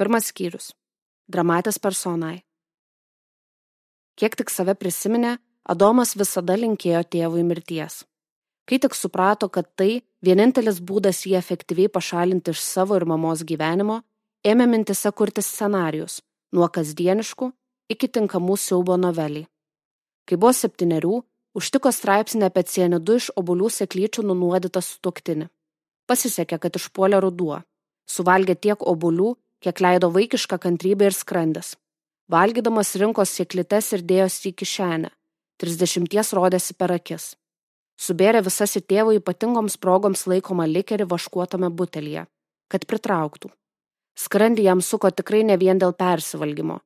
Pirmas skyrius. Dramatis personae. Kiek tik save prisiminė, Adomas visada linkėjo tėvui mirties. Kai tik suprato, kad tai vienintelis būdas jį efektyviai pašalinti iš savo ir mamos gyvenimo, ėmė mintise kurti scenarijus, nuo kasdieniškų iki tinkamų siaubo novelį. Kai buvo 7, užtiko straipsnį apie cianidu iš obuolių sėklyčių nunuodytą sutuoktinį. Pasisekė, kad išpuolė ruduo. Suvalgė tiek obuolių, kiek leido vaikiška kantrybė ir skrandis. Valgydamas rinkos sėklytes ir dėjosi į kišenę. 30 rodėsi per akis. Subėrė visas į tėvo ypatingoms progoms laikomą likerį vaškuotame butelyje, kad pritrauktų. Skrandį jam suko tikrai ne vien dėl persivalgymo.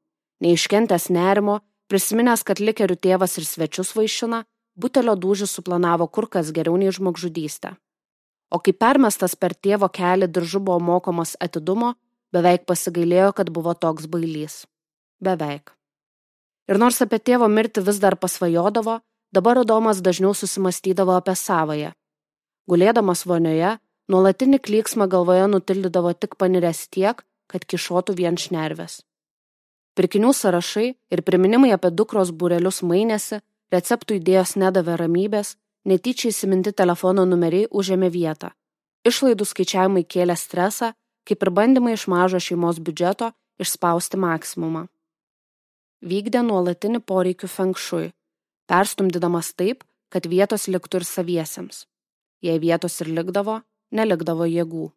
Neiškentęs nerimo, prisiminęs, kad likerių tėvas ir svečius vaišina, butelio dūžį suplanavo kur kas geriau nei žmogžudystę. O kai permestas per tėvo kelį diržu buvo mokomas atidumo, beveik pasigailėjo, kad buvo toks bailys. Beveik. Ir nors apie tėvo mirtį vis dar pasvajodavo, dabar Adomas dažniau susimastydavo apie savąją. Gulėdamas vonioje, nuolatinį klyksmą galvoje nutildydavo tik paniręs tiek, kad kišotų vien šnervės. Pirkinių sąrašai ir priminimai apie dukros būrelius mainėsi, receptų idėjos nedavė ramybės, netyčiai įsiminti telefono numeriai užėmė vietą. Išlaidų skaičiavimai kėlė stresą, kaip ir bandymai iš mažo šeimos biudžeto išspausti maksimumą. Vykdė nuolatinį poreikių feng shui, perstumdydamas taip, kad vietos liktų ir saviesiems. Jei vietos ir likdavo, nelikdavo jėgų.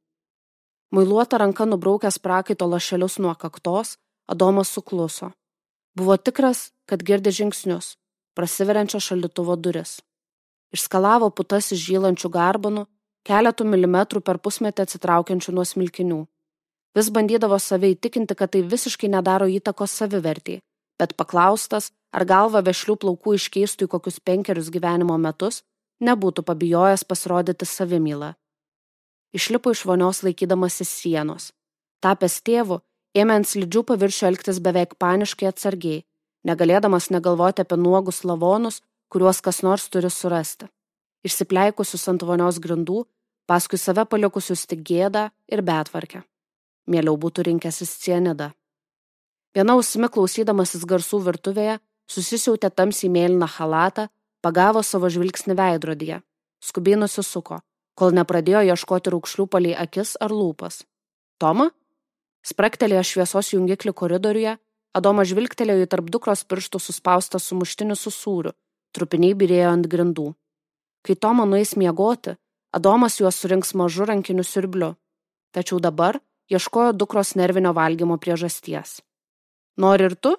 Muiluota ranka nubraukęs prakaito lašelius nuo kaktos, Adomas sukluso. Buvo tikras, kad girdi žingsnius, prasiveriančio šaldytuvo duris. Išskalavo putas iš žylančių garbanų, keletų milimetrų per pusmetį atsitraukiančių nuo smilkinių. Vis bandydavo save įtikinti, kad tai visiškai nedaro įtakos savivertį, bet paklaustas, ar galva vešlių plaukų iškeistų į kokius 5 gyvenimo metus, nebūtų pabijojęs pasirodyti savimylą. Išlipo iš vonios laikydamasis sienos. Tapęs tėvu, ėmė ant slidžių paviršių elgtis beveik paniškai atsargiai, negalėdamas negalvoti apie nuogus lavonus, kuriuos kas nors turi surasti. Išsipleikusius ant vonios grindų, paskui save palikusius tik gėdą ir betvarkę. Mieliau būtų rinkęsis cianidą. Viena ausimi klausydamasis garsų virtuvėje, susisiautė tamsiai mėlyną chalatą, pagavo savo žvilgsnį veidrodyje, skubiai nusisuko, kol nepradėjo ieškoti raukšlių palei akis ar lūpas. Toma? Spraktelėjo šviesos jungiklį koridoriuje, Adomas žvilgtelėjo į tarp dukros pirštų suspaustą sumuštinį su sūriu, trupiniai byrėjo ant grindų. Kai Toma nueis miegoti, Adomas juos surinks mažu rankiniu siurbliu, tačiau dabar ieškojo dukros nervinio valgymo priežasties. Nori ir tu?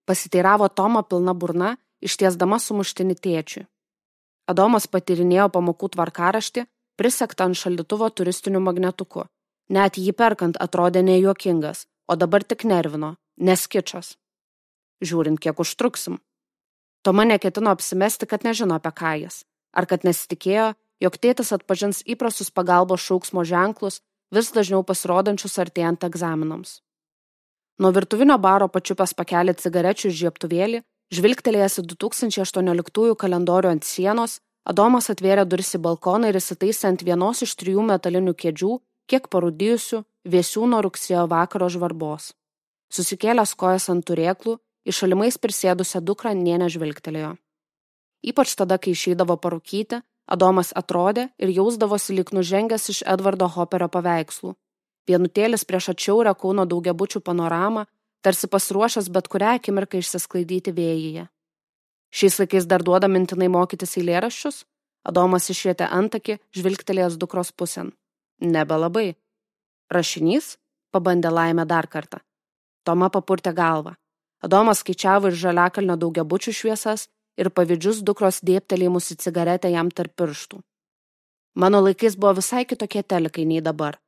Pasiteiravo Toma pilna burna, ištiesdama sumuštinį tėčiui. Adomas patyrinėjo pamokų tvarkaraštį, prisektą ant šaldytuvo turistiniu magnetuku. Net jį perkant atrodė nejuokingas, o dabar tik nervino, nes kičas. Žiūrint, kiek užtruksim. Toma neketino apsimesti, kad nežino apie ką jis, ar kad nesitikėjo, jog tėtis atpažins įprastus pagalbos šauksmo ženklus, vis dažniau pasirodančius artėjant egzaminams. Nuo virtuvinio baro pačiupęs pakelį cigarečių žiebtuvėlį, žvilgtelėjęs į 2018 kalendorių ant sienos, Adomas atvėrė duris į balkoną ir įsitaisė ant vienos iš 3 metalinių kėdžių, kiek parūdijusių, vėsių nuo rugsėjo vakaro žvarbos. Susikėlęs kojas ant turėklų, į šalimais prisėdusią dukrą nė nežvilgtelėjo. Ypač tada, kai išeidavo parūkyti, Adomas atrodė ir jausdavosi lyg nužengęs iš Edvardo Hopperio paveikslų. Vienutėlis prieš atšiaurę Kauno daugiabučių panoramą, tarsi pasiruošęs bet kurią akimirką išsisklaidyti vėjyje. Šiais laikais dar duoda mintinai mokytis eilėraščius? Adomas išvietė antakį, žvilgtelėjęs dukros pusėn. Nebelabai. Rašinys? Pabandė Laimė dar kartą. Toma papurtė galvą. Adomas skaičiavo ir žaliakalnio daugiabučių šviesas ir pavydžius dukros dėbtelėjimus į cigaretę jam tarp pirštų. Mano laikais buvo visai kitokie telikai nei dabar.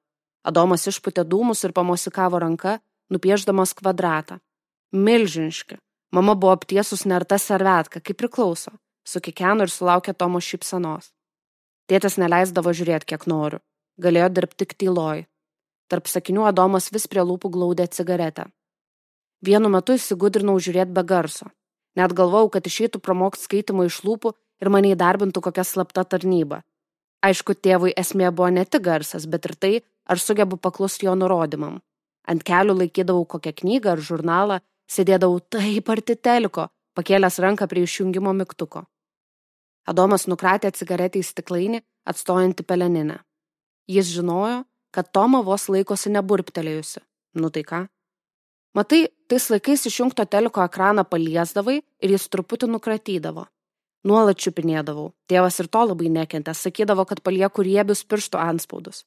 Adomas išpūtė dūmus ir pamosikavo ranka, nupieždamas kvadratą. Milžiniški. Mama buvo aptiesus nerta servetka, kaip priklauso. Sukikeno ir sulaukė Tomo šypsenos. Tėtis neleisdavo žiūrėti, kiek noriu. Galėjo dirbti tik tyloj. Tarp sakinių Adomas vis prie lūpų glaudė cigaretę. Vienu metu įsigudrinau žiūrėti be garso. Net galvojau, kad išeitų pramokti skaitimo iš lūpų ir mane įdarbintų kokia slapta tarnyba. Aišku, tėvui esmė buvo ne tik garsas, bet ir tai, ar sugebu paklusti jo nurodymam. Ant kelių laikydavau kokią knygą ar žurnalą, sėdėdavau taip arti teliko, pakėlęs ranką prie išjungimo mygtuko. Adomas nukratė cigaretę į stiklainį, atstojantį peleninę. Jis žinojo, kad Toma vos laikosi neburptelėjusi. Nu tai ką? Matai, tais laikais išjungto teliko ekraną paliesdavai ir jis truputį nukratydavo. Nuolat čiupinėdavau. Tėvas ir to labai nekentė, sakydavo, kad palieku riebius pirštų antspaudus.